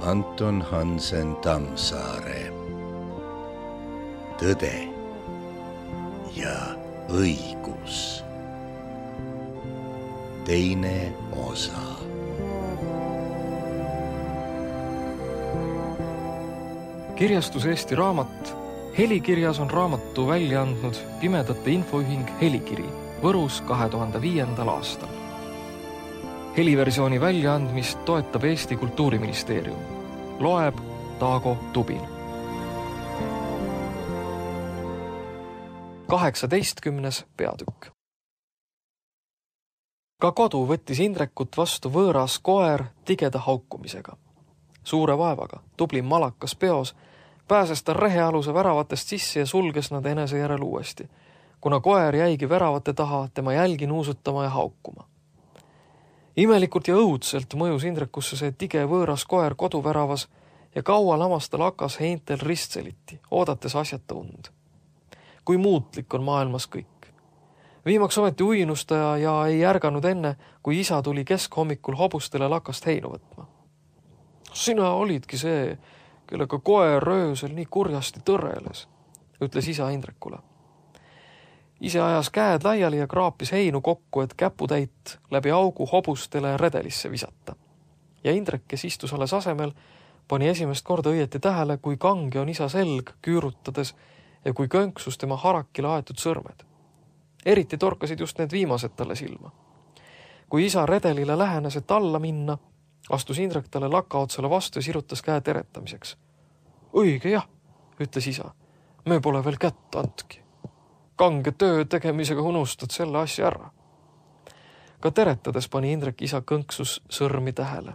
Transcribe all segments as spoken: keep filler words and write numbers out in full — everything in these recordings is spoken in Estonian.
Anton Hansen Tammsaare. Tõde ja õigus. Teine osa. Kirjastus Eesti Raamat. Helikirjas on raamatu välja andnud Pimedate Infoühing Helikiri Võrus kahe tuhande viiendal aastal. Heliversiooni väljaandmist toetab Eesti Kultuuriministeerium. Loeb Taago Tubin. kaheksateistkümnes peatükk. Ka kodu võttis Indrekut vastu võõras koer tigeda haukumisega. Suure vaevaga, tubli malakas peos, pääses ta rehealuse väravatest sisse ja sulges nad enese järel uuesti, kuna koer jäigi väravate taha tema jälgi nuusutama ja haukuma. Imelikult ja õudselt mõjus Indrekusse see tige võõras koer koduväravas ja kaua lamas ta lakas heintel ristseliti, oodates asjata und. Kui muutlik on maailmas kõik. Viimaks ometi uinustaja ja ei ärganud enne, kui isa tuli keskhommikul hobustele lakast heinu võtma. Sina olidki see, kellega koer öösel nii kurjasti tõreles, ütles isa Indrekule. Ise ajas käed laiali ja kraapis heinu kokku, et käputäit läbi augu hobustele redelisse visata. Ja Indrek, kes istus alles asemel, pani esimest korda õieti tähele, kui kange on isa selg küürutades ja kui könksus tema harakile aetud sõrmed. Eriti torkasid just need viimased talle silma. Kui isa redelile lähenes, et alla minna, astus Indrek talle lakaotsale vastu ja sirutas käe teretamiseks. Õige jah, ütles isa, me pole veel kätt andki. Kange töö tegemisega unustad selle asja ära. Ka teretades pani Indrek isa kõnksus sõrmi tähele.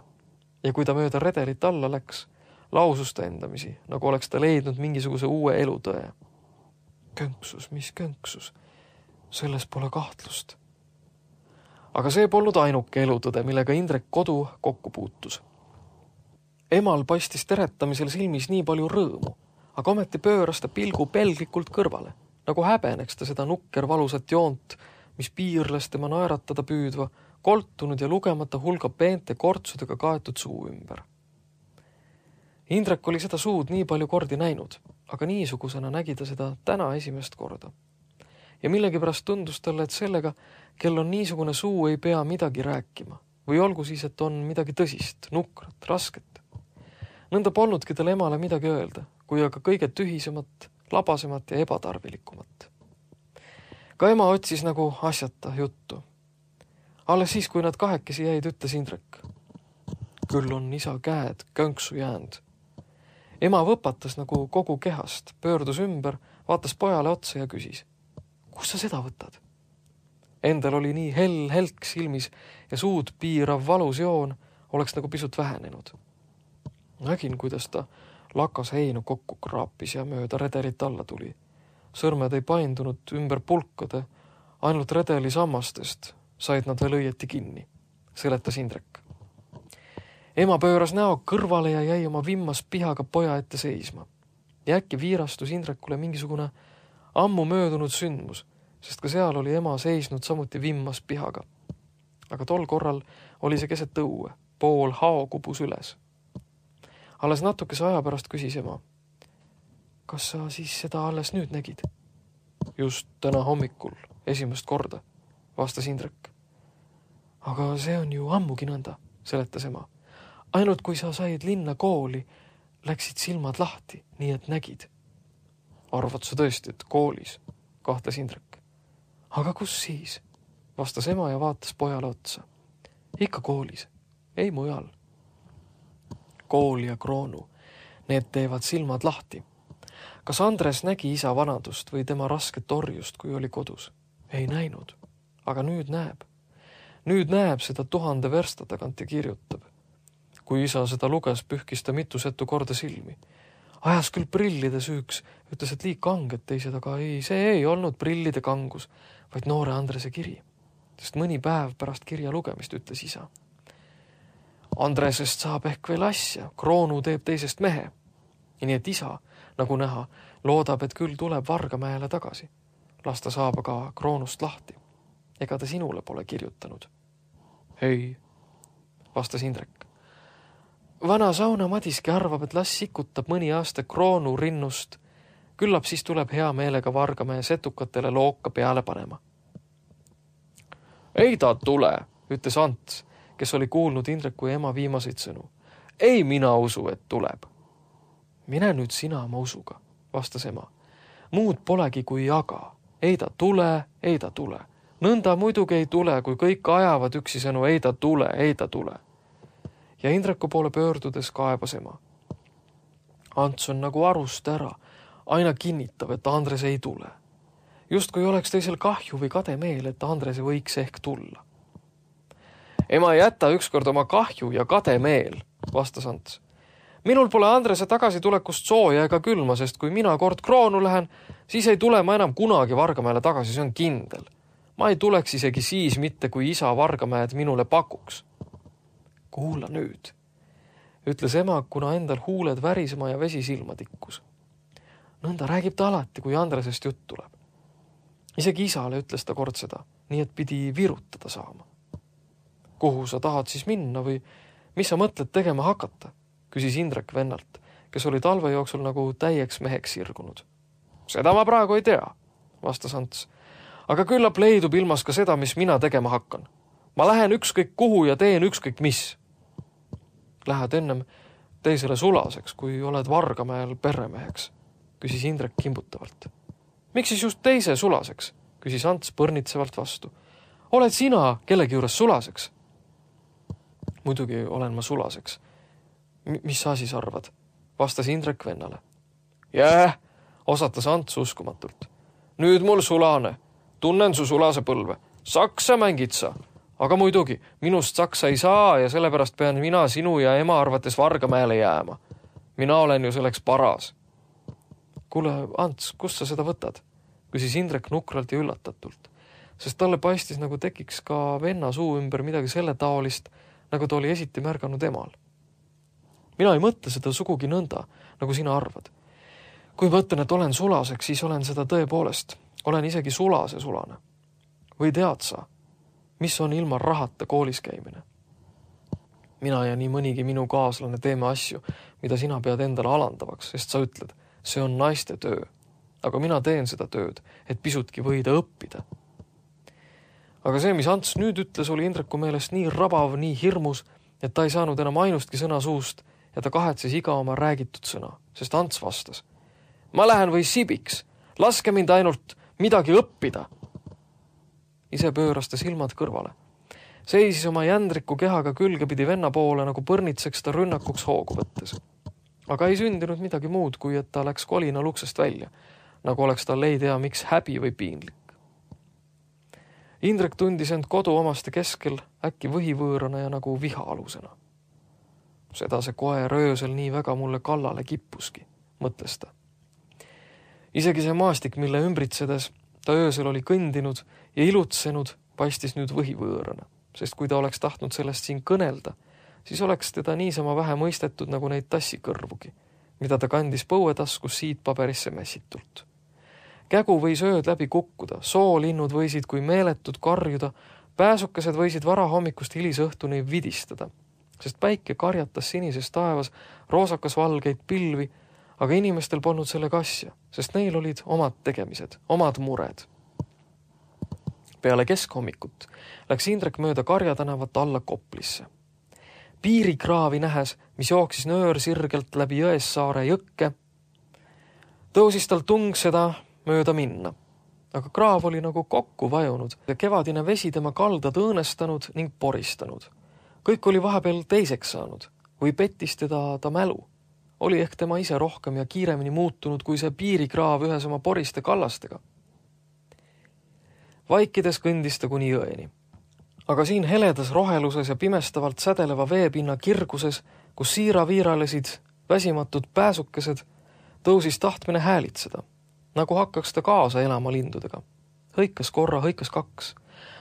Ja kui ta mööda redelit alla läks, lausus ta endamisi, nagu oleks ta leidnud mingisuguse uue elutõe. Könksus, mis könksus? Selles pole kahtlust. Aga see polnud ainuke elutõde, millega Indrek kodu kokku puutus. Emal paistis teretamisel silmis nii palju rõõmu, aga ometi pööras ta pilgu pelglikult kõrvale, nagu häbeneks ta seda nukker valusat joont, mis piirles tema naeratada püüdva, koltunud ja lugemata hulga peente kortsudega kaetud suu ümber. Indrek oli seda suud nii palju kordi näinud, aga niisugusena nägi ta seda täna esimest korda. Ja millegipärast tundus talle, et sellega, kel on niisugune suu, ei pea midagi rääkima. Või olgu siis, et on midagi tõsist, nukrat, rasket. Nõnda polnudki tal emale midagi öelda, kui aga kõige tühisemat, labasemat ja ebatarvilikumat. Ka ema otsis nagu asjata juttu. Alles siis, kui nad kahekesi jäid, ütles Indrek. Küll on isa käed könksu jäänd. Ema võpatas nagu kogu kehast, pöördus ümber, vaatas pojale otsa ja küsis. Kus sa seda võtad? Endal oli nii hell helk silmis ja suud piirav valus joon oleks nagu pisut vähenenud. Nägin, kuidas ta lakas heinu kokku kraapis ja mööda redelit alla tuli. Sõrmed ei paindunud ümber pulkade, ainult redeli sammastest said nad veel õieti kinni, seletas Indrek. Ema pööras näo kõrvale ja jäi oma vimmas pihaga poja ette seisma. Ja äkki viirastus Indrekule mingisugune ammu möödunud sündmus, sest ka seal oli ema seisnud samuti vimmas pihaga. Aga tol korral oli see keset õue, pool hao kubus üles. Alles natukese aja pärast küsis ema. Kas sa siis seda alles nüüd nägid? Just täna hommikul, esimest korda, vastas Indrek. Aga see on ju ammugi nõnda, seletas ema. Ainult kui sa said linna kooli, läksid silmad lahti, nii et nägid. Arvad sa tõesti, et koolis, kahtles Indrek. Aga kus siis? Vastas ema ja vaatas pojale otsa. Ikka koolis, ei mujal. Kool ja kroonu, need teevad silmad lahti. Kas Andres nägi isa vanadust või tema rasket orjust, kui oli kodus? Ei näinud, aga nüüd näeb. Nüüd näeb seda tuhande versta tagant ja kirjutab. Kui isa seda luges, pühkis ta mitusetu korda silmi. Ajas küll prillide süüks, ütles, et liik kanged teised, aga ei, see ei olnud prillide kangus, vaid noore Andrese kiri. Sest mõni päev pärast kirja lugemist ütles isa. Andresest saab ehk veel asja, kroonu teeb teisest mehe. Ja nii et isa, nagu näha, loodab, et küll tuleb Vargamäele tagasi. Las ta saab aga kroonust lahti. Ega ta sinule pole kirjutanud. Ei, vastas Indrek. vana sauna Madiski arvab, et las sikutab mõni aasta kroonu rinnust. Küllap siis tuleb hea meelega Vargamäe setukatele looka peale panema. Ei ta tule, ütles Ants, kes oli kuulnud Indreku ema viimaseid sõnu. Ei mina usu, et tuleb. Mine nüüd sina oma usuga, vastas ema. Muud polegi kui jaga. Ei ta tule, ei ta tule. Nõnda muidugi ei tule, kui kõik ajavad üksisõnu ei ta tule, ei ta tule. Ja Indreku poole pöördudes kaebas ema. Ants on nagu arust ära, aina kinnitab, et Andres ei tule. Just kui oleks teisel kahju või kade meel, et Andres võiks ehk tulla. Ema ei jäta ükskord oma kahju ja kade meel, vastas Ants. Minul pole Andrese tagasitulekust sooja ega külma, sest kui mina kord kroonu lähen, siis ei tule ma enam kunagi Vargamäele tagasi, see on kindel. Ma ei tuleks isegi siis mitte, kui isa Vargamäed minule pakuks. Kuula nüüd, ütles ema, kuna endal huuled värisema ja vesi silma tikkus. Nõnda räägib ta alati, kui Andresest jutt tuleb. Isegi isale ütles ta kord seda, nii et pidi virutada saama. Kuhu sa tahad siis minna või mis sa mõtled tegema hakata? Küsis Indrek vennalt, kes oli talve jooksul nagu täieks meheks sirgunud. Seda ma praegu ei tea, vastas Ants. Aga küllap leidub ilmas ka seda, mis mina tegema hakkan. Ma lähen ükskõik kuhu ja teen ükskõik mis. Lähed ennem teisele sulaseks, kui oled Vargamäel perremeheks, küsis Indrek kimbutavalt. Miks siis just teise sulaseks, küsis Ants põrnitsevalt vastu. Oled sina kellegi juures sulaseks? Muidugi olen ma sulaseks. M- mis sa siis arvad? Vastas Indrek vennale. Jää, osatas Ants uskumatult. Nüüd mul sulane. Tunnen su sulase põlve. Saksa mängid sa. Aga muidugi, minust saksa ei saa ja sellepärast pean mina sinu ja ema arvates Vargamäele jääma. Mina olen ju selleks paras. Kuule, Ants, kust sa seda võtad? Küsis Indrek nukralt ja üllatatult, sest talle paistis nagu tekiks ka venna suu ümber midagi selle taolist, nagu ta oli esiti märganud emal. Mina ei mõtle seda sugugi nõnda, nagu sina arvad. Kui mõtlen, et olen sulaseks, siis olen seda tõepoolest. Olen isegi sulase sulane. Või tead sa, mis on ilma rahata koolis käimine? Mina ja nii mõnigi minu kaaslane teeme asju, mida sina pead endale alandavaks, sest sa ütled, see on naiste töö. Aga mina teen seda tööd, et pisutki võida õppida. Aga see, mis Ants nüüd ütles, oli Indreku meelest nii rabav, nii hirmus, et ta ei saanud enam ainustki sõna suust ja ta kahetses iga oma räägitud sõna, sest Ants vastas. Ma lähen või sibiks, laske mind ainult midagi õppida. Ise pööras ta silmad kõrvale. Seisis oma jändriku kehaga külgepidi venna poole, nagu põrnitseks ta rünnakuks hoogu võttes. Aga ei sündinud midagi muud, kui et ta läks kolina luksest välja, nagu oleks tal ei tea miks häbi või piinlik. Indrek tundis end kodu omaste keskel äkki võhivõõrana ja nagu viha alusena. Seda see koer öösel nii väga mulle kallale kippuski, mõtles ta. Isegi see maastik, mille ümbritsedes ta öösel oli kõndinud ja ilutsenud, paistis nüüd võhivõõrana, sest kui ta oleks tahtnud sellest siin kõnelda, siis oleks teda niisama vähe mõistetud nagu neid tassikõrvugi, mida ta kandis põuetaskus siit paberisse messitult. Kägu võis ööd läbi kukkuda, soolinnud võisid kui meeletud karjuda, pääsukesed võisid varahommikust hilisõhtuni vidistada, sest päike karjatas sinises taevas roosakas valgeid pilvi, aga inimestel polnud sellega asja, sest neil olid omad tegemised, omad mured. Peale keskhommikut läks Indrek mööda Karja tänavat alla Koplisse. Piirikraavi nähes, mis jooksis nöör sirgelt läbi Jõessaare jõkke, tõusis tal tung seda mööda minna. Aga kraav oli nagu kokku vajunud ja kevadine vesi tema kaldad õõnestanud ning poristanud. Kõik oli vahepeal teiseks saanud või pettis teda ta mälu. Oli ehk tema ise rohkem ja kiiremini muutunud kui see piirikraav ühes oma poriste kallastega. Vaikides kõndis ta kuni jõeni. Aga siin heledas roheluses ja pimestavalt sädeleva veepinna kirguses, kus siira-viiralesid väsimatud pääsukesed, tõusis tahtmine häälitseda, nagu hakkaks ta kaasa elama lindudega. Hõikas korra, hõikas kaks,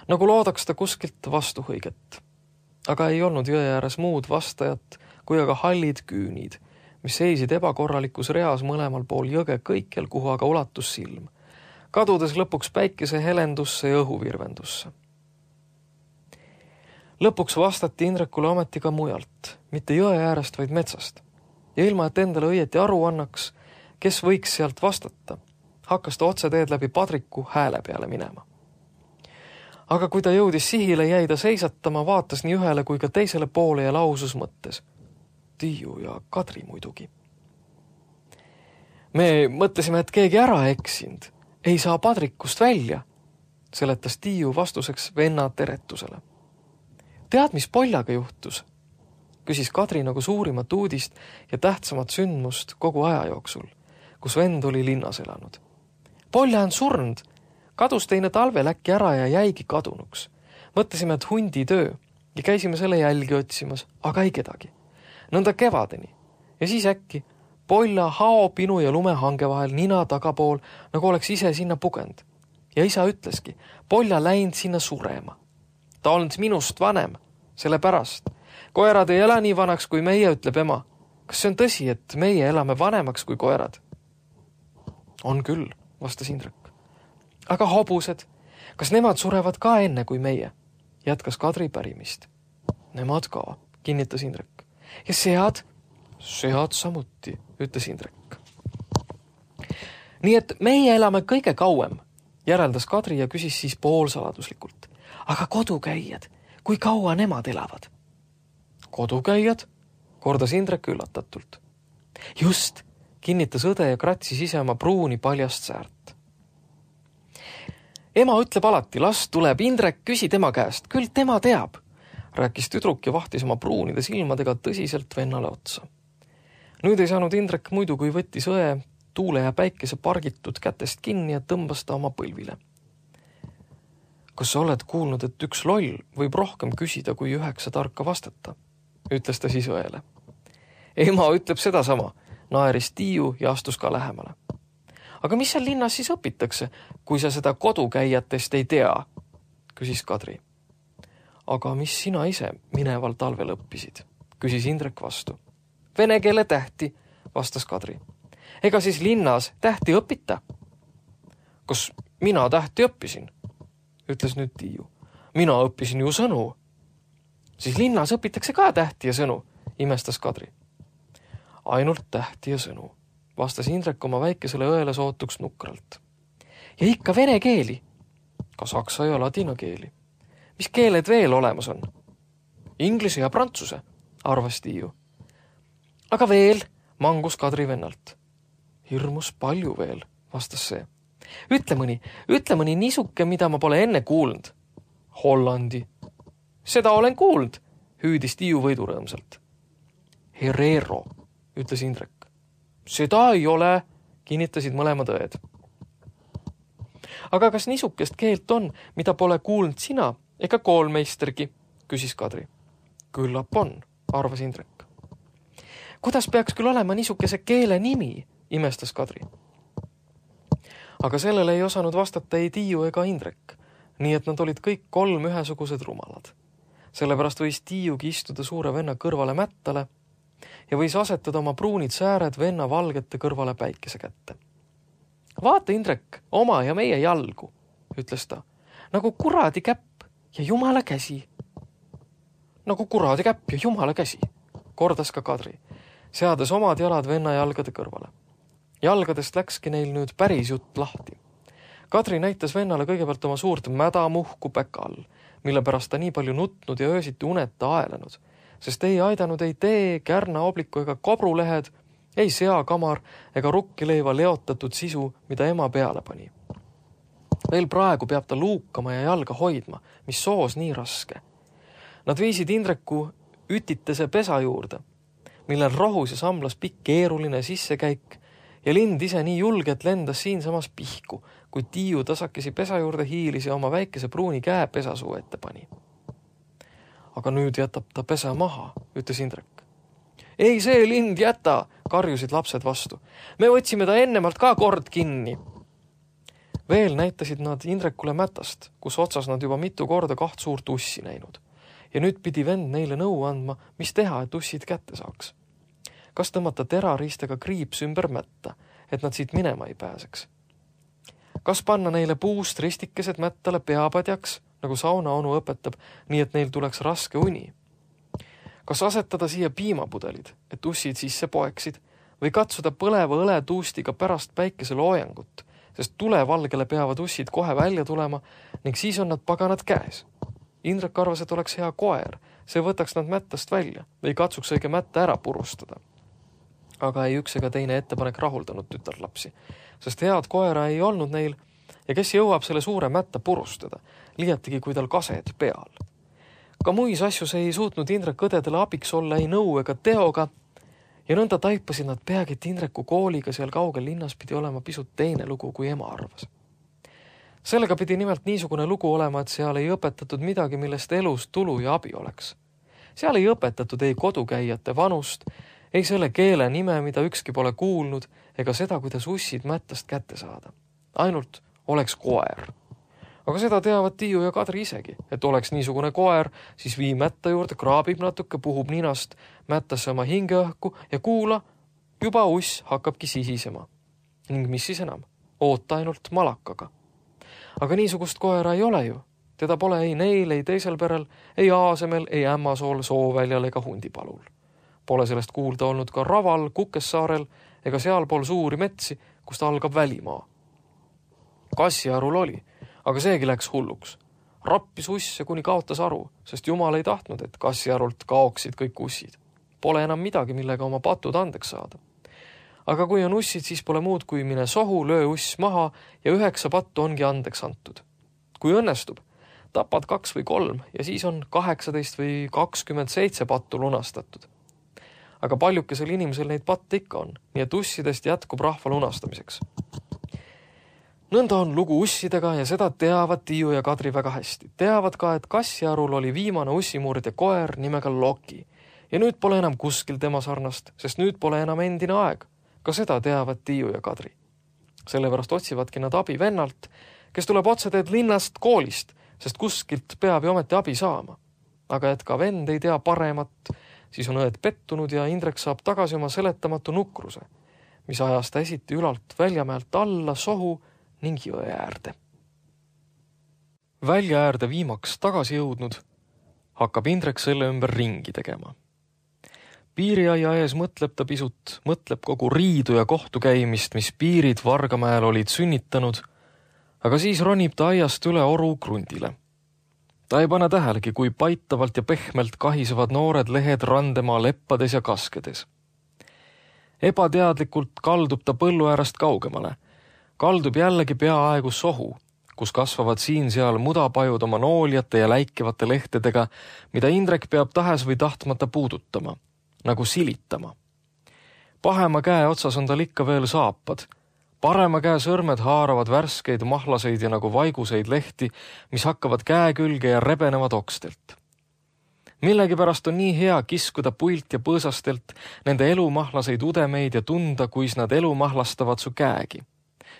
nagu loodaks ta kuskilt vastuhõiget. Aga ei olnud jõe ääres muud vastajat, kui aga hallid küünid, mis seisid ebakorralikus reas mõlemal pool jõge kõikjal, kuhu aga ulatus silm, kadudes lõpuks päikese helendusse ja õhuvirvendusse. Lõpuks vastati Indrekule ometi ka mujalt, mitte jõe äärest, vaid metsast. Ja ilma, et endale õieti aru annaks, kes võiks sealt vastata, hakkas ta otse teed läbi padriku hääle peale minema. Aga kui ta jõudis sihile, jäi ta seisatama, vaatas nii ühele kui ka teisele poole ja lausus mõttes. Tiiu ja Kadri muidugi. Me mõtlesime, et keegi ära eksinud, ei saa padrikust välja, seletas Tiiu vastuseks venna teretusele. Tead, mis Poljaga juhtus? Küsis Kadri nagu suurimat uudist ja tähtsamat sündmust kogu aja jooksul, kus vend oli linnas elanud. Polja on surnud, kadus teine talvel äkki ära ja jäigi kadunuks. Mõtlesime, et hundi töö ja käisime selle jälgi otsimas, aga ei kedagi. Nõnda kevadeni ja siis äkki Polja hao, pinu ja lumehange vahel nina tagapool, nagu oleks ise sinna pugend. Ja isa ütleski, Polja läinud sinna surema. Ta olnud minust vanem, selle pärast. Koerad ei ela nii vanaks kui meie, ütleb ema. Kas see on tõsi, et meie elame vanemaks kui koerad? On küll, vastas Indrek. Aga hobused, kas nemad surevad ka enne kui meie? Jätkas Kadri pärimist. Nemad ka, kinnitas Indrek. Ja sead? Sead samuti, ütles Indrek. Nii et meie elame kõige kauem, järeldas Kadri ja küsis siis poolsaladuslikult. Aga kodukäijad, kui kaua nemad elavad? Kodukäijad? Kordas Indrek üllatatult. Just, kinnitas õde ja kratsis ise oma pruuni paljast säärt. Ema ütleb alati, las tuleb Indrek, küsi tema käest, küll tema teab, rääkis tüdruk ja vahtis oma pruunide silmadega tõsiselt vennale otsa. Nüüd ei saanud Indrek muidu, kui võttis õe tuule ja päikese pargitud kätest kinni ja tõmbas ta oma põlvile. Kas sa oled kuulnud, et üks loll võib rohkem küsida, kui üheksa tarka vastata? Ütles ta siis õele. Ema ütleb sedasama, naeris Tiiu ja astus ka lähemale. Aga mis seal linnas siis õpitakse, kui sa seda kodukäijatest ei tea? Küsis Kadri. Aga mis sina ise mineval talvel õppisid? Küsis Indrek vastu. Vene keele tähti, vastas Kadri. Ega siis linnas tähti õpita? Kas mina tähti õppisin? Ütles nüüd Tiiu. Mina õppisin ju sõnu. Siis linnas õpitakse ka tähti ja sõnu, imestas Kadri. Ainult tähti ja sõnu, vastas Indrek oma väikesele õele sootuks nukralt. Ja ikka vene keeli? Ka saksa ja ladina keeli. Mis keeled veel olemas on? Inglise ja prantsuse, arvas Tiiu. Aga veel, mangus Kadri vennalt. Hirmus palju veel, vastas see. Ütle mõni, ütle mõni niisuke, mida ma pole enne kuulnud. Hollandi. Seda olen kuulnud, hüüdis Tiiu võidurõõmsalt. Herero, ütles Indrek. Seda ei ole, kinnitasid mõlemad õed. Aga kas niisukest keelt on, mida pole kuulnud sina ega koolmeistergi, küsis Kadri. Küllap on, arvas Indrek. Kuidas peaks küll olema niisukese keele nimi, imestas Kadri. Aga sellele ei osanud vastata ei Tiiu ega Indrek, nii et nad olid kõik kolm ühesugused rumalad. Sellepärast võis Tiiugi istuda suure venna kõrvale mättale ja võis asetada oma pruunid sääred venna valgete kõrvale päikese kätte. Vaata, Indrek, oma ja meie jalgu, ütles ta, nagu kuradi käpp ja jumala käsi. Nagu kuradi käpp ja jumala käsi, kordas ka Kadri, seades omad jalad venna jalgade kõrvale. Jalgadest läkski neil nüüd päris jutt lahti. Kadri näitas vennale kõigepealt oma suurt mädamuhku päka all, mille pärast ta nii palju nutnud ja öösiti uneta aelenud, sest ei aidanud ei tee, kärna, obliku ega kobrulehed, ei seakamar ega rukkileiva leotatud sisu, mida ema peale pani. Veel praegu peab ta luukama ja jalga hoidma, mis soos nii raske. Nad viisid Indreku ütitese pesa juurde, millel rohus ja samlas pikk keeruline sissekäik ja lind ise nii julge, et lendas siinsamas pihku, kui Tiiu tasakesi pesa juurde hiilis ja oma väikese pruuni käe pesasuu ette pani. Aga nüüd jätab ta pesa maha, ütles Indrek. Ei see lind jäta, karjusid lapsed vastu. Me otsime ta ennemalt ka kord kinni. Veel näitasid nad Indrekule mätast, kus otsas nad juba mitu korda kaht suurt ussi näinud. Ja nüüd pidi vend neile nõu andma, mis teha, et ussid kätte saaks. Kas tõmmata terariistega kriips ümber mätta, et nad siit minema ei pääseks? Kas panna neile puust ristikesed mättale peapadjaks, nagu sauna onu õpetab, nii et neil tuleks raske uni? Kas asetada siia piimapudelid, et ussid sisse poeksid, või katsuda põleva õletuustiga pärast päikeseloojangut, sest tulevalgele peavad ussid kohe välja tulema ning siis on nad paganad käes. Indrek arvas, et oleks hea koer, see võtaks nad mättast välja või katsuks õige mätta ära purustada. Aga ei üks ega teine ettepanek rahuldanud tütarlapsi, sest head koera ei olnud neil ja kes jõuab selle suure mätta purustada, liiatigi kui tal kased peal. Ka muis asjus ei suutnud Indrek õdedele abiks olla ei nõu ega teoga ja nõnda taipasid nad peagi, et Indreku kooliga seal kaugel linnas pidi olema pisut teine lugu, kui ema arvas. Sellega pidi nimelt niisugune lugu olema, et seal ei õpetatud midagi, millest elus tulu ja abi oleks. Seal ei õpetatud ei kodukäijate vanust, ei selle keele nime, mida ükski pole kuulnud, ega seda, kuidas ussid mättast kätte saada. Ainult oleks koer. Aga seda teavad Tiiu ja Kadri isegi, et oleks niisugune koer, siis vii mätta juurde, kraabib natuke, puhub ninast mättasse oma hingeõhku ja kuula, juba uss hakkabki sihisema. Ning mis siis enam? Oota ainult malakaga. Aga niisugust koera ei ole ju. Teda pole ei neil, ei teisel perel, ei Aasemel, ei Ämmasool, Sooväljal ega Hundipalul. Pole sellest kuulda olnud ka Raval, Kukessaarel ega sealpool suuri metsi, kust algab välimaa. Kassiarul oli, aga seegi läks hulluks. Rappis usse, kuni kaotas aru, sest Jumal ei tahtnud, et Kassiarult kaoksid kõik ussid. Pole enam midagi, millega oma patud andeks saada. Aga kui on ussid, siis pole muud kui mine sohu, löö uss maha ja üheksa pattu ongi andeks antud. Kui õnnestub, tapad kaks või kolm ja siis on kaheksateist või kakskümmend seitse pattu lunastatud. Aga paljukesel inimesel neid patte ikka on, nii et ussidest jätkub rahva lunastamiseks. Nõnda on lugu ussidega ja seda teavad Tiiu ja Kadri väga hästi. Teavad ka, et Kassiarul oli viimane ussimurde koer nimega Loki ja nüüd pole enam kuskil tema sarnast, sest nüüd pole enam endine aeg. Ka seda teavad Tiiu ja Kadri. Sellepärast otsivadki nad abi vennalt, kes tuleb otseteed linnast koolist, sest kuskilt peab ju ometi abi saama. Aga et ka vend ei tea paremat, siis on õed pettunud ja Indrek saab tagasi oma seletamatu nukruse, mis ajas ta esiti ülalt väljamäelt alla sohu ning jõe äärde. Välja äärde viimaks tagasi jõudnud, hakkab Indrek selle ümber ringi tegema. Piiriaia ees mõtleb ta pisut, mõtleb kogu riidu ja kohtu käimist, mis piirid Vargamäel olid sünnitanud, aga siis ronib ta aiast üle oru krundile. Ta ei pane tähelegi, kui paitavalt ja pehmelt kahisevad noored lehed randemaa leppades ja kaskedes. Ebateadlikult kaldub ta põllu äärest kaugemale, kaldub jällegi peaaegu sohu, kus kasvavad siin seal mudapajud oma nooljate ja läikevate lehtedega, mida Indrek peab tahes või tahtmata puudutama, nagu silitama. Pahema käe otsas on tal ikka veel saapad. Parema käe sõrmed haaravad värskeid mahlaseid ja nagu vaiguseid lehti, mis hakkavad käe külge ja rebenevad okstelt. Millegipärast on nii hea kiskuda puilt ja põõsastelt nende elumahlaseid udemeid ja tunda, kuis nad elu mahlastavad su käegi,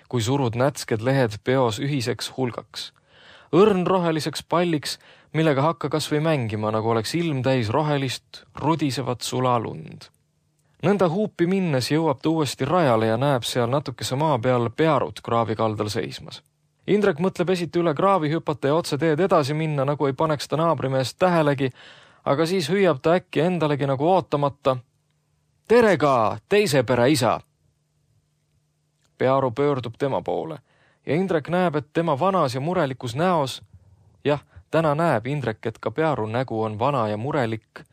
kui surud nätsked lehed peos ühiseks hulgaks. Õrn roheliseks palliks, millega hakka kas või mängima, nagu oleks ilm täis rohelist, rudisevat sulalund. Nõnda huupi minnes jõuab ta uuesti rajale ja näeb seal natukese maa peal pearut kraavi kaldal seismas. Indrek mõtleb esiti üle kraavi hüpata ja otse teed edasi minna, nagu ei paneks ta naabrimeest tähelegi, aga siis hüüab ta äkki endalegi nagu ootamata. Tere ka, teise pere isa! Pearu pöördub tema poole ja Indrek näeb, et tema vanas ja murelikus näos, jah, täna näeb Indrek, et ka Pearu nägu on vana ja murelik,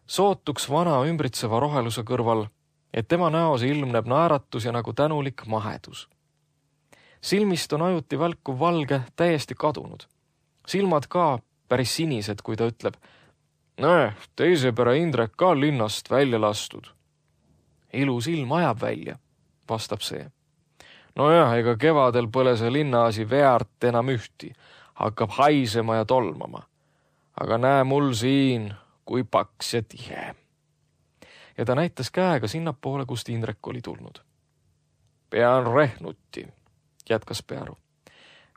sootuks vana ümbritseva roheluse kõrval, et tema näos ilmneb naeratus ja nagu tänulik mahedus. Silmist on ajuti välkuv valge täiesti kadunud. Silmad ka päris sinised, kui ta ütleb, näe, teise pere Indrek ka linnast välja lastud. Ilus ilm ajab välja, vastab see. Nojah, ega kevadel põle see linnaasi veart enam ühti, hakkab haisema ja tolmama. Aga näe mul siin, kui paks ja tihe. Ja ta näitas käega sinnapoole, kust Indrek oli tulnud. Pean rehnuti, jätkas Pearu.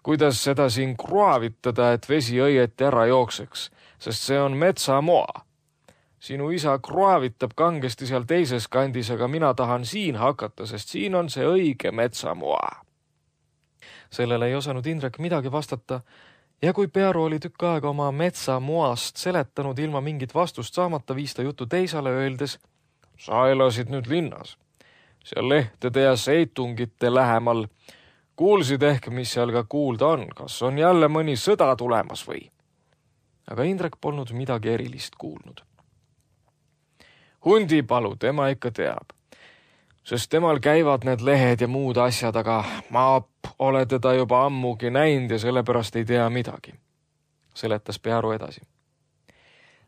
Kuidas seda siin kraavitada, et vesi õieti ära jookseks, sest see on metsamoa. Sinu isa kraavitab kangesti seal teises kandis, aga mina tahan siin hakata, sest siin on see õige metsamoa. Sellele ei osanud Indrek midagi vastata Ja kui Pearu oli tükk aega oma metsa moast seletanud ilma mingit vastust saamata, viis ta jutu teisale öeldes: sa elasid nüüd linnas, seal lehtede ja seitungite lähemal. Kuulsid ehk, mis seal ka kuulda on, kas on jälle mõni sõda tulemas või? Aga Indrek polnud midagi erilist kuulnud. Hundipalu tema ikka teab, sest temal käivad need lehed ja muud asjad, aga ma ole teda juba ammugi näinud ja sellepärast ei tea midagi, seletas Pearu edasi.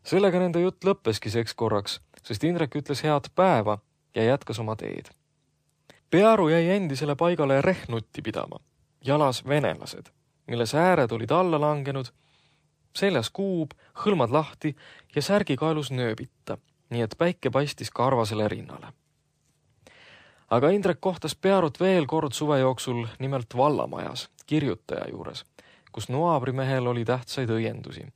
Sellega nende jutt lõppeski seks korraks, sest Indrek ütles head päeva ja jätkas oma teed. Pearu jäi endisele paigale rehnutti pidama, jalas venelased, mille sääred olid alla langenud, seljas kuub, hõlmad lahti ja särgikaelus nööbita, nii et päike paistis karvasele rinnale. Aga Indrek kohtas Pearut veel kord suve jooksul nimelt vallamajas, kirjutaja juures, kus noabrimehel oli tähtsaid õiendusi,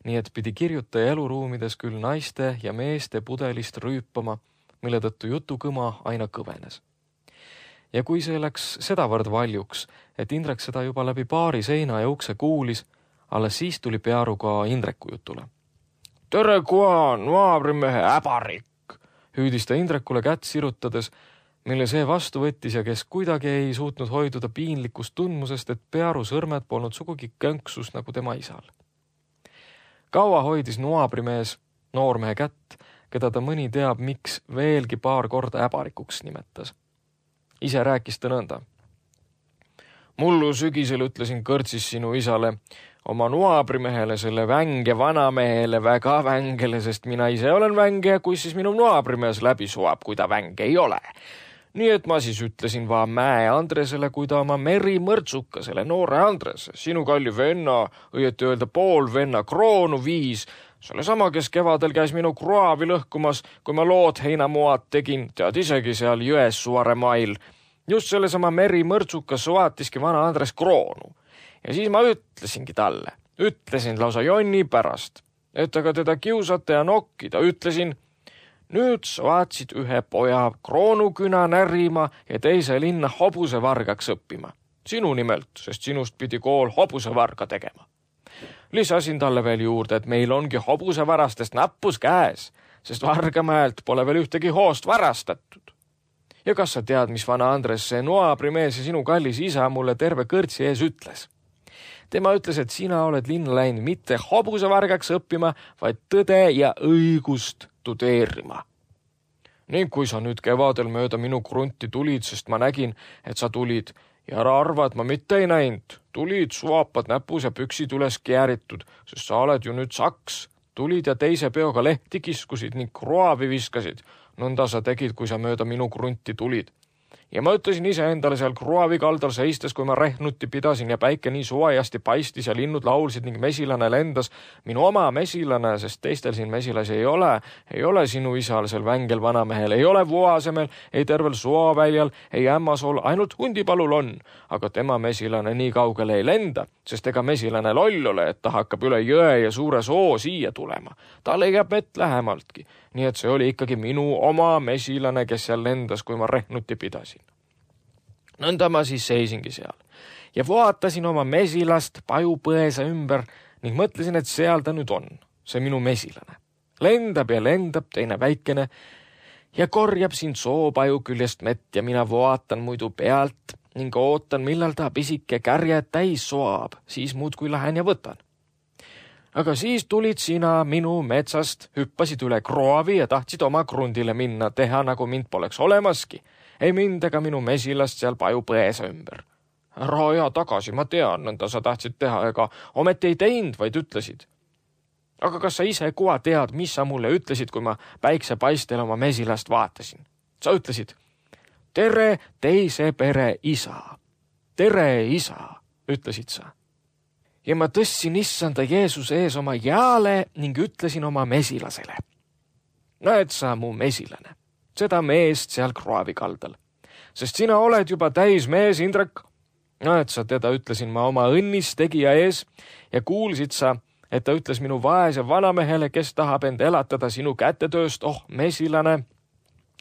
nii et pidi kirjutaja eluruumides küll naiste ja meeste pudelist rüüpama, mille tõttu jutukõma aina kõvenes. Ja kui see läks sedavõrd valjuks, et Indrek seda juba läbi paari seina ja ukse kuulis, alles siis tuli Pearu ka Indreku jutule. Tere kua, noabrimehe äbarik, hüüdis ta Indrekule kätt sirutades, mille see vastu võttis ja kes kuidagi ei suutnud hoiduda piinlikust tundmusest, et Pearu sõrmed polnud sugugi könksus nagu tema isal. Kaua hoidis noabrimees noormehe kätt, keda ta mõni teab, miks veelgi paar korda äbarikuks nimetas. Ise rääkis ta nõnda. Mullu sügisel ütlesin kõrtsis sinu isale, oma noabrimehele, selle vänge vanamehele väga vängele, sest mina ise olen vänge, kui siis minu noabrimees läbi suab, kui ta vänge ei ole. Nii et ma siis ütlesin vaan Mäe Andresele, kui ta oma meri mõrtsuka, selle noore Andres, sinu kalli venna, õieti öelda pool venna kroonu viis, selle sama, kes kevadel käis minu kraavi lõhkumas, kui ma lood heinamoad tegin, tead isegi seal jões Suare mail. Just selle sama meri mõrtsuka soatiski vana Andres kroonu. Ja siis ma ütlesingi talle, ütlesin lausa jonni pärast, et aga teda kiusata ja nokkida, ütlesin, nüüd soatsid ühe poja kroonuküna närima ja teise linna hobusevargaks õppima. Sinu nimelt, sest sinust pidi kool hobusevarga tegema. Lisasin talle veel juurde, et meil ongi hobusevarastest nappus käes, sest Vargamäelt pole veel ühtegi hoost varastatud. Ja kas sa tead, mis vana Andres, see noabrimees ja sinu kallis isa mulle terve kõrtsi ees ütles? Tema ütles, et sina oled linna läinud mitte hobusevargaks õppima, vaid tõde ja õigust tudeerima. Ning kui sa nüüd kevadel mööda minu krunti tulid, sest ma nägin, et sa tulid, ja ära arva, et ma mitte ei näinud. Tulid, suapad näpus ja püksid üles kääritud, sest sa oled ju nüüd saks. Tulid ja teise peoga lehti kiskusid ning kroavi viskasid. Nõnda sa tegid, kui sa mööda minu krunti tulid. Ja ma ütlesin ise endale seal kruavi kaldal seistes, kui ma rehnuti pidasin ja päike nii suajasti paistis ja linnud laulsid ning mesilane lendas. Minu oma mesilane, sest teistel siin mesilasi ei ole, ei ole sinu isal, sel vängel vanamehel, ei ole Vuasemel, ei tervel Suoväljal, ei Ämmasol, ainult Hundipalul on. Aga tema mesilane nii kaugele ei lenda, sest ega mesilane loll ole, et ta hakkab üle jõe ja suure soo siia tulema. Ta leiab mett lähemaltki. Nii et see oli ikkagi minu oma mesilane, kes seal lendas, kui ma rehnuti pidasin. Nõnda ma siis seisingi seal ja vaatasin oma mesilast pajupõesa ümber ning mõtlesin, et seal ta nüüd on, see minu mesilane. Lendab ja lendab teine väikene ja korjab siin soopaju küljest mett ja mina vaatan muidu pealt ning ootan, millal ta pisike kärje täis soab, siis muudkui lähen ja võtan. Aga siis tulid sina minu metsast, hüppasid üle kroovi ja tahtsid oma krundile minna, teha nagu mind poleks olemaski. Ei mind ega minu mesilast seal paju põesa ümber. Ära aja tagasi, ma tean, nõnda sa tahtsid teha, ega ometi ei teinud, vaid ütlesid. Aga kas sa ise kohe tead, mis sa mulle ütlesid, kui ma päiksepaistel oma mesilast vaatasin? Sa ütlesid, tere teise pere isa. Tere isa, ütlesid sa. Ja ma tõstsin issanda Jeesuse ees oma jaale ning ütlesin oma mesilasele. Näed sa mu mesilane, seda meest seal kraavi kaldal, sest sina oled juba täis mees, Indrek. Näed sa teda, ütlesin ma oma õnnis tegija ees ja kuulsid sa, et ta ütles minu vaese vanamehele, kes tahab end elatada sinu kätetööst, oh mesilane,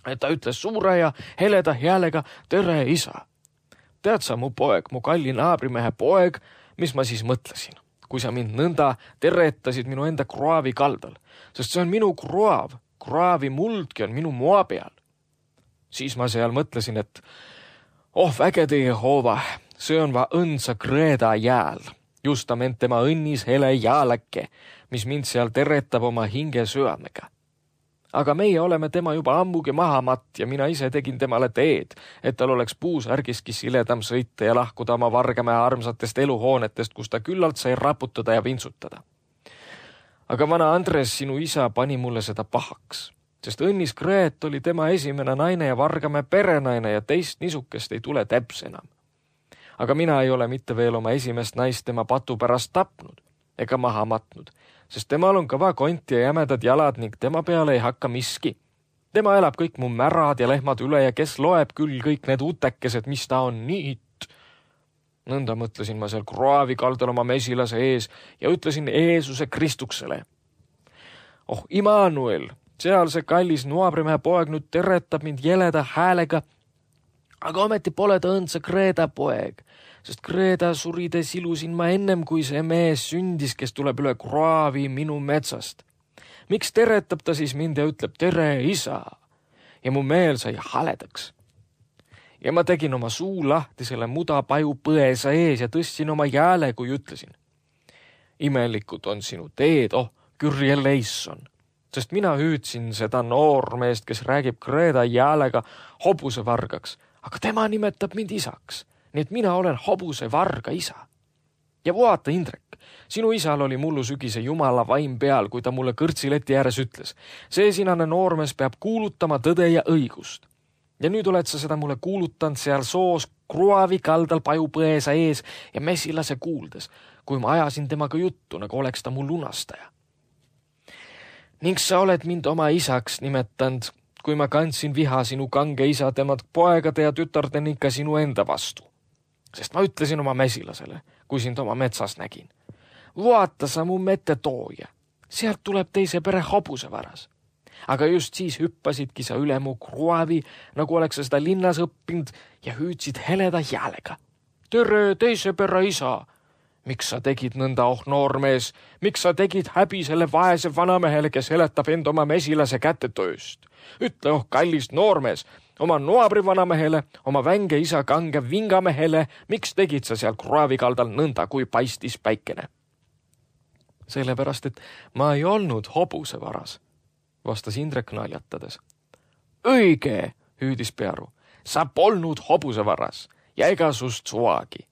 et ta ütles suure ja heleda häälega, tere isa. Tead sa mu poeg, mu kalli naabrimehe poeg, mis ma siis mõtlesin? kui sa mind nõnda teretasid minu enda kraavi kaldal, sest see on minu kraav, kraavi muldki on minu moa peal. Siis ma seal mõtlesin, et oh vägede Jehova, see on va õnsa Kreeda jääl, justament tema õnnis hele jääläkke, mis mind seal teretab oma hinge süömega. Aga meie oleme tema juba ammugi maha matt ja mina ise tegin temale teed, et tal oleks puusärgiski siledam sõita ja lahkuda oma Vargamäe armsatest eluhoonetest, kus ta küllalt sai raputada ja vintsutada. Aga vana Andres, sinu isa, pani mulle seda pahaks, sest õnnis Kreet oli tema esimene naine ja Vargamäe perenaine ja teist nisukest ei tule täps enam. Aga mina ei ole mitte veel oma esimest naist tema patu pärast tapnud ega maha matnud, sest temal on kõva kont ja jämedad jalad ning tema peale ei hakka miski. Tema elab kõik mu märad ja lehmad üle ja kes loeb küll kõik need utekesed, mis ta on niit. Nõnda mõtlesin ma seal kraavi kaldal oma mesilase ees ja ütlesin Jeesuse Kristuksele. Oh, Immanuel, seal see kallis nuabrimehe poeg nüüd teretab mind jeleda häälega, aga ometi pole ta õndsa Kreeda poeg, sest Kreeda surides ilusin ma ennem, kui see mees sündis, kes tuleb üle kraavi minu metsast. Miks teretab ta siis mind ja ütleb tere, isa? Ja mu meel sai haledaks. Ja ma tegin oma suu lahti selle mudapaju põesa ees ja tõstsin oma jääle, kui ütlesin. Imelikud on sinu teed, oh, Kürje Leisson, sest mina hüüdsin seda noormeest, kes räägib Kreeda jäälega hobuse vargaks, aga tema nimetab mind isaks, nii et mina olen hobuse varga isa. Ja vaata, Indrek, sinu isal oli mullu sügise jumala vaim peal, kui ta mulle kõrtsileti ääres ütles. See sinane noormees peab kuulutama tõde ja õigust. Ja nüüd oled sa seda mulle kuulutanud seal soos kruavi kaldal pajupõesa ees ja mesilase kuuldes, kui ma ajasin temaga juttu, nagu oleks ta mu lunastaja. Ning sa oled mind oma isaks nimetanud, kui ma kandsin viha sinu kange isa temad poegade ja tütarde ning ka sinu enda vastu. Sest ma ütlesin oma mesilasele, kui sind oma metsas nägin. Vaata sa mu metetooja, sealt tuleb teise pere hobuse varas. Aga just siis hüppasidki sa üle mu kruavi, nagu oleks sa seda linnas õppinud ja hüüdsid heleda jäälega. Tere, teise pere isa! Miks sa tegid nõnda, oh noormees? Miks sa tegid häbi selle vaese vanamehele, kes heletab end oma mesilase kätetööst? Ütle, oh kallis noormees, oma noabri vanamehele, oma vänge isa kange vingamehele, miks tegid sa seal kraavi kaldal nõnda, kui paistis päikene? Sellepärast, et ma ei olnud hobuse varas, vastas Indrek naljatades. Õige, hüüdis Pearu, sa polnud hobuse varas ja ega sust suagi.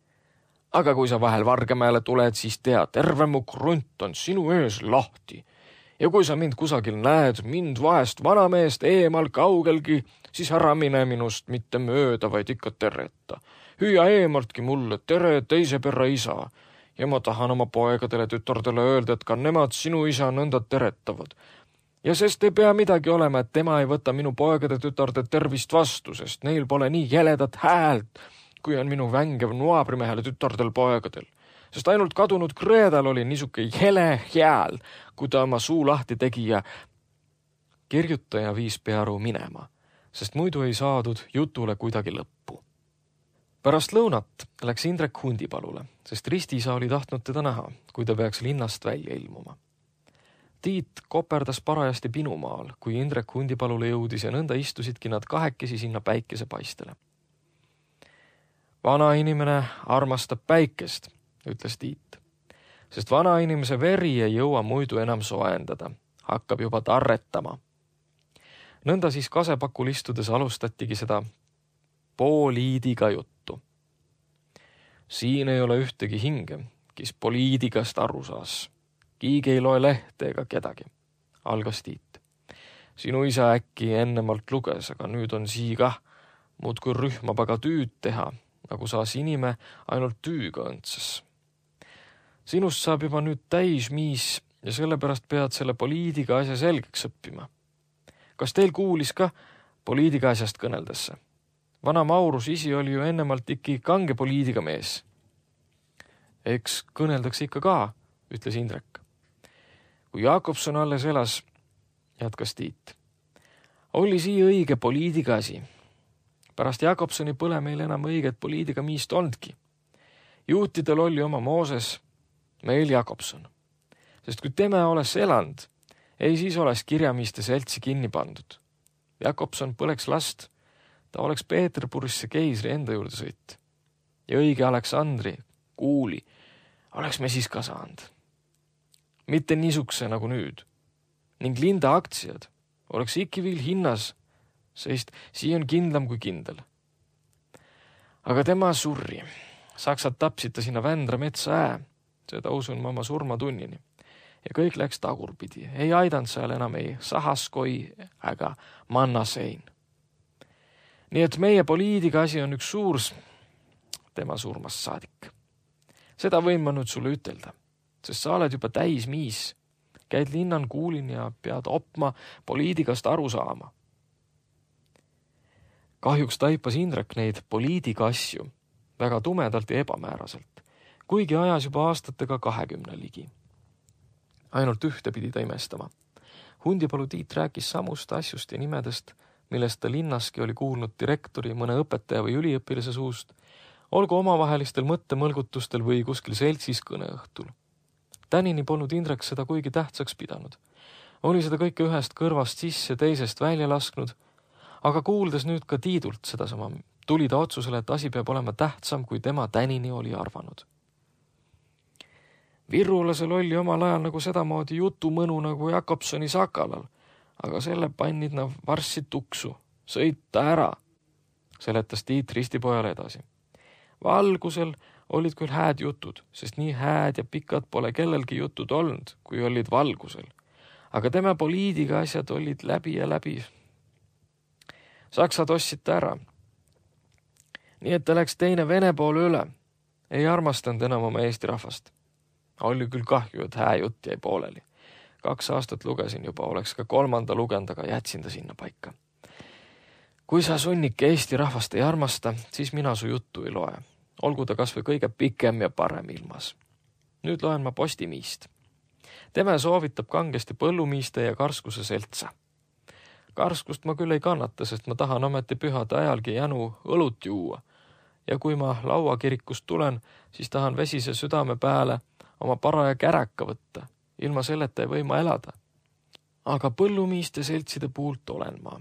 Aga kui sa vahel Vargamäele tuled, siis tea, terve mu krunt on sinu ees lahti. Ja kui sa mind kusagil näed, mind vaest vanameest eemal kaugelgi, siis ära mine minust mitte mööda, vaid ikka tereta. Hüüa eemaltki mulle, tere teise perre isa. Ja ma tahan oma poegadele tütardele öelda, et ka nemad sinu isa nõnda teretavad. Ja sest ei pea midagi olema, et tema ei võta minu poegade tütarde tervist vastu, sest neil pole nii jeledat häält, kui on minu vängev nuabrimehele tütardel poegadel. Sest ainult kadunud Kreedal oli niisuke jele hääl, kui ta oma suu lahti tegi ja kirjutaja viis Pearu minema, sest muidu ei saadud jutule kuidagi lõppu. Pärast lõunat läks Indrek hundipalule, sest Ristiisa oli tahtnud teda näha, kui ta peaks linnast välja ilmuma. Tiit koperdas parajasti pinumaal, kui Indrek hundipalule jõudis ja nõnda istusidki nad kahekesi sinna päikese paistele. Vana inimene armastab päikest, ütles Tiit, sest vana inimese veri ei jõua muidu enam soendada, hakkab juba tarretama. Nõnda siis kasepakul istudes alustatigi seda poliidiga juttu. Siin ei ole ühtegi hinge, kes poliidigast aru saas. Kiigi ei loe lehte ega kedagi, algas Tiit. Sinu isa äkki ennemalt luges, aga nüüd on sii kah, muud kui rühmab aga tüüd teha, nagu saas inime ainult tüüga õndsas. Sinust saab juba nüüd täis miis ja sellepärast pead selle poliidiga asja selgeks õppima. Kas teil kuulis ka poliidiga asjast kõneldesse? Vana Maurus isi oli ju ennemalt ikki kange poliidiga mees. Eks kõneldakse ikka ka, ütles Indrek. Kui Jakobson alles elas, jätkas Tiit, oli sii õige poliidiga asi. Pärast Jakobsoni pole meil enam õiget poliidiga miist olnudki. Juutidel oli oma Mooses, meil Jakobson. Sest kui tema oleks elanud, ei siis oleks kirjamiiste seltsi kinni pandud. Jakobson põleks last, ta oleks Peeterburisse keisri enda juurde sõit. Ja õige Aleksandri, kuuli, oleks me siis ka saanud. Mitte niisuguse nagu nüüd. Ning Linda aktsiad oleks ikki veel hinnas, sest sii on kindlam kui kindel. Aga tema surri. Saksad tapsid ta sinna Vändra metsa ää, seda usun ma oma surmatunnini. Ja kõik läks tagurpidi. Ei aidanud seal enam ei Sahaskoi ega Mannasein. Nii et meie poliitika asi on üks suur tema surmast saadik. Seda võin ma nüüd sulle ütelda, sest sa oled juba täis miis. Käid linnan kuulin ja pead opma poliitikast aru saama. Kahjuks taipas Indrek neid poliitika asju väga tumedalt ja ebamääraselt, kuigi ajas juba aastatega kahekümne ligi. Ainult ühte pidi ta imestama. Hundipalu Tiit rääkis samust asjust ja nimedest, millest ta linnaski oli kuulnud direktori, mõne õpetaja või üliõpilase suust, olgu omavahelistel mõttemõlgutustel või kuskil seltsis kõneõhtul. Tänini polnud Indrek seda kuigi tähtsaks pidanud. Oli seda kõike ühest kõrvast sisse teisest välja lasknud, aga kuuldes nüüd ka Tiidult sedasama, tuli ta otsusele, et asi peab olema tähtsam, kui tema tänini oli arvanud. Virrulasel oli omal ajal nagu sedamoodi jutumõnu nagu Jakobsoni Sakalal, aga selle pannid nad varssi tuksu, sõita ära, seletas Tiit ristipojale edasi. Valgusel olid küll hääd jutud, sest nii hääd ja pikad pole kellelgi jutud olnud, kui olid valgusel. Aga tema poliitika asjad olid läbi ja läbi. Saksad ostsid ta ära. Nii et ta läks teine Vene poole üle. Ei armastanud enam oma Eesti rahvast. Oli küll kahju, et hää jutt jäi pooleli. Kaks aastat lugesin juba, oleks ka kolmanda lugend, aga jätsin ta sinna paika. Kui sa sunnike Eesti rahvast ei armasta, siis mina su juttu ei loe. Olgu ta kas või kõige pikem ja parem ilmas. Nüüd loen ma Postimiist. Tema soovitab kangesti põllumiiste ja karskuse seltsa. Karskust ma küll ei kannata, sest ma tahan ometi pühade ajalgi jänu õlut juua. Ja kui ma lauakirikust tulen, siis tahan vesise südame pääle oma paraja käraka võtta. Ilma selleta ei või ma elada. Aga põllumiiste seltside puult olen ma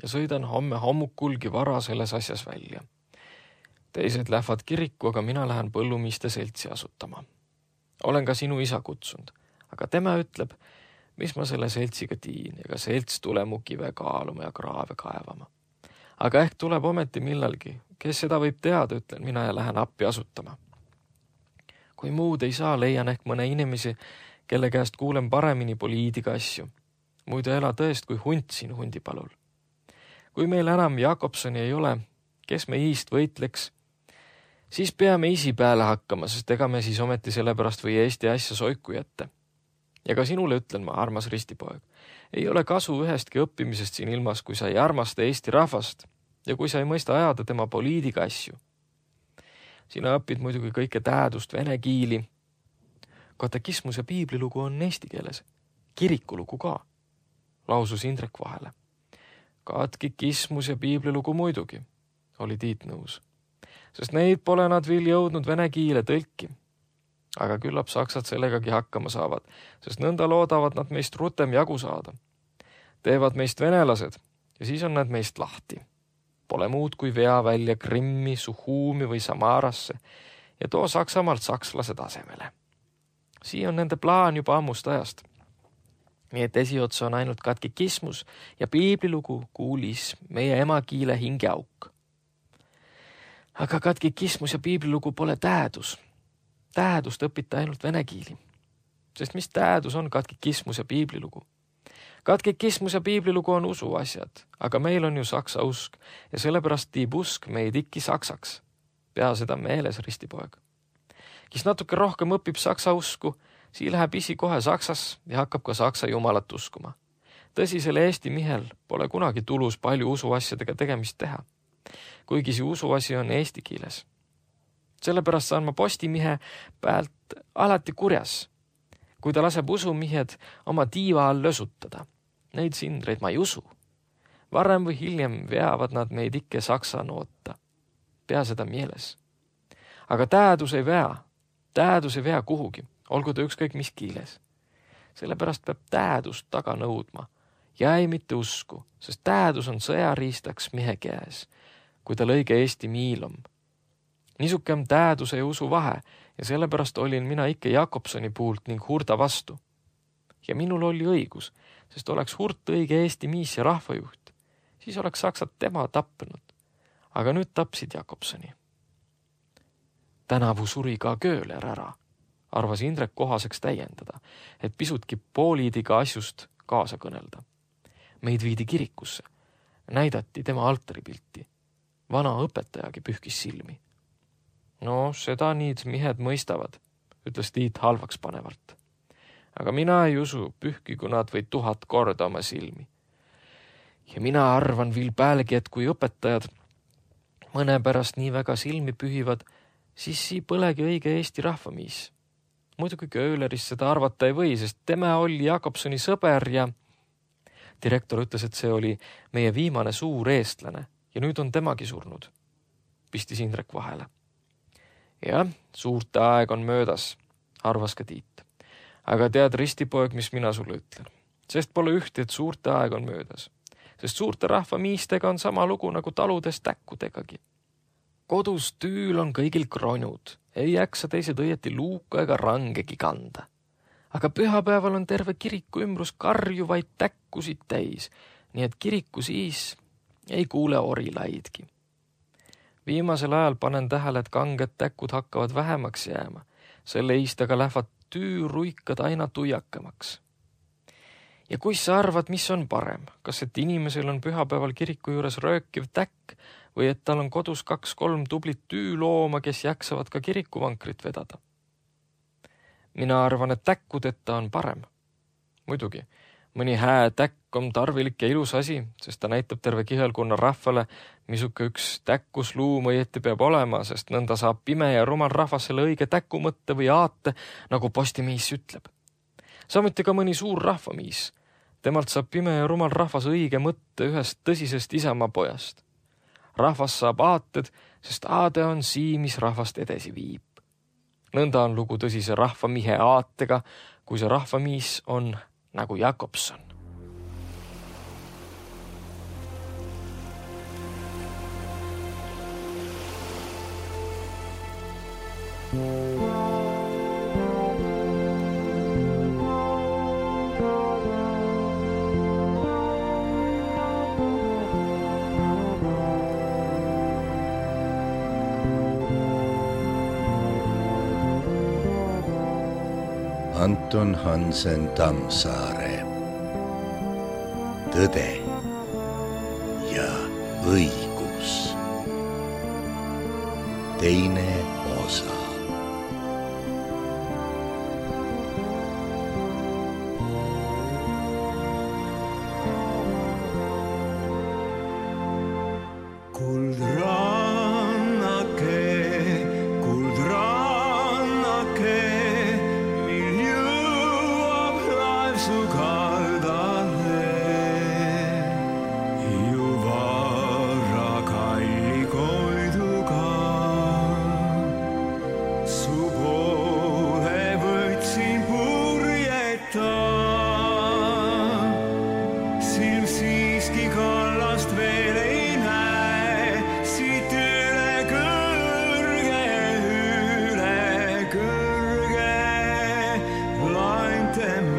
ja sõidan homme hommukulgi vara selles asjas välja. Teised lähevad kiriku, aga mina lähen põllumiiste seltsi asutama. Olen ka sinu isa kutsunud, aga tema ütleb, mis ma selle seltsiga tiin, ega selts tule mu kive kaaluma ja kraave kaevama. Aga ehk tuleb ometi millalgi, kes seda võib teada, ütlen mina ja lähen appi asutama. Kui muud ei saa, leian ehk mõne inimesi, kelle käest kuulen paremini poliitika asju. Muidu ela tõest kui hunt siin Hundipalul. Kui meil enam Jakobsoni ei ole, kes me iist võitleks, siis peame isi pääle hakkama, sest ega me siis ometi sellepärast või Eesti asja soiku jätta. Ja ka sinule ütlen ma, armas ristipoeg, ei ole kasu ühestki õppimisest siin ilmas, kui sa ei armasta Eesti rahvast ja kui sa ei mõista ajada tema poliitika asju. Sina õpid muidugi kõike tähendust vene kiili. Katekismus ja piiblilugu on eesti keeles. Kirikulugu ka, lausus Indrek vahele. Katekismus ja piiblilugu muidugi, oli Tiit nõus. Sest neid pole nad veel jõudnud vene kiile tõlki. Aga küllap saksad sellegagi hakkama saavad, sest nõnda loodavad nad meist rutem jagu saada. Teevad meist venelased ja siis on nad meist lahti. Pole muud kui vea välja Krimmi, Suhuumi või Samarasse ja too Saksamaalt sakslase tasemele. Sii on nende plaan juba ammust ajast. Nii et esiotsa on ainult katekismus ja piiblilugu kuulis meie emakiile hingeauk. Aga katekismus ja piiblilugu pole tähendus. Tähendust õpita ainult vene kiili. Sest mis tähendus on katekismus ja piiblilugu? Katekismus ja piiblilugu on usu asjad, aga meil on ju saksa usk ja sellepärast tiib usk meid ikki saksaks. Pea seda meeles, ristipoeg. Kes natuke rohkem õpib saksa usku, sii läheb isi kohe saksas ja hakkab ka saksa jumalat uskuma. Tõsisele Eesti mihel pole kunagi tulus palju usuasjadega tegemist teha, kuigi see usuasi on eesti kiiles. Sellepärast saan ma Postimihe pealt alati kurjas, kui ta laseb usumihed oma tiiva all lösutada. Neid sindreid ma ei usu. Varem või hiljem veavad nad meid ikke saksa noota. Pea seda mieles. Aga tähendus ei vea. Tähendus ei vea kuhugi. olgu ta ükskõik mis kiiles. Sellepärast peab täädust taga nõudma ja ei mitte usku, sest täädus on sõjariistaks mehe käes, kui ta lõige Eesti miilom. Niisukem tääduse ja usu vahe ja sellepärast olin mina ikka Jakobsoni puult ning Hurda vastu. Ja minul oli õigus, sest oleks Hurt õige Eesti miis ja rahvajuht, siis oleks Saksat tema tappenud. Aga nüüd tapsid Jakobsoni. Tänavu suri ka Kööler ära, arvas Indrek kohaseks täiendada, et pisutki pooliidiga asjust kaasa kõnelda. Meid viidi kirikusse, näidati tema altaripilti. Vana õpetajagi pühkis silmi. No, seda niid mihed mõistavad, ütles Tiit halvaks panevalt. Aga mina ei usu, pühkigu nad või tuhat korda oma silmi. Ja mina arvan viil päälegi, et kui õpetajad mõne pärast nii väga silmi pühivad, siis sii põlegi õige Eesti rahvamiis. Muidugi Köölerist seda arvata ei või, sest tema oli Jakobsoni sõber ja direktor ütles, et see oli meie viimane suur eestlane ja nüüd on temagi surnud, pistis Indrek vahele. Jah, suurte aeg on möödas, arvas ka Tiit. Aga tead, ristipoeg, mis mina sulle ütlen, sest pole ühti, et suurte aeg on möödas, sest suurte rahvamiistega on sama lugu nagu taludes täkkudegagi. Kodus tüül on kõigil kronud, ei jaksa teised õieti luuka ega rangegi kanda. Aga pühapäeval on terve kiriku ümbrus karjuvaid täkkusid täis, nii et kiriku siis ei kuule orilaidki. Viimasel ajal panen tähele, et kanged täkud hakkavad vähemaks jääma, selle iistaga lähevad tüüruikad aina tuiakamaks. Ja kui sa arvad, mis on parem, kas et inimesel on pühapäeval kiriku juures röökiv täkk või et tal on kodus kaks-kolm tublit tüülooma, kes jaksavad ka kirikuvankrit vedada? Mina arvan, et täkkudeta on parem. Muidugi, mõni hää täkk on tarvilik ja ilus asi, sest ta näitab terve kihelkonna rahvale, misuke üks täkkusluum õieti peab olema, sest nõnda saab pime ja rumal rahvas selle õige täkumõtte või aate, nagu postimiis ütleb. Samuti ka mõni suur rahvamiis. Temalt saab pime ja rumal rahvas õige mõtte ühest tõsisest isamaa pojast. Rahvas saab aated, sest aade on sii, mis rahvast edesi viib. Nõnda on lugu tõsise rahvamihe aatega, kui see rahvamiis on nagu Jakobson. Anton Hansen Tammsaare. Tõde ja õigus. Teine osa. Them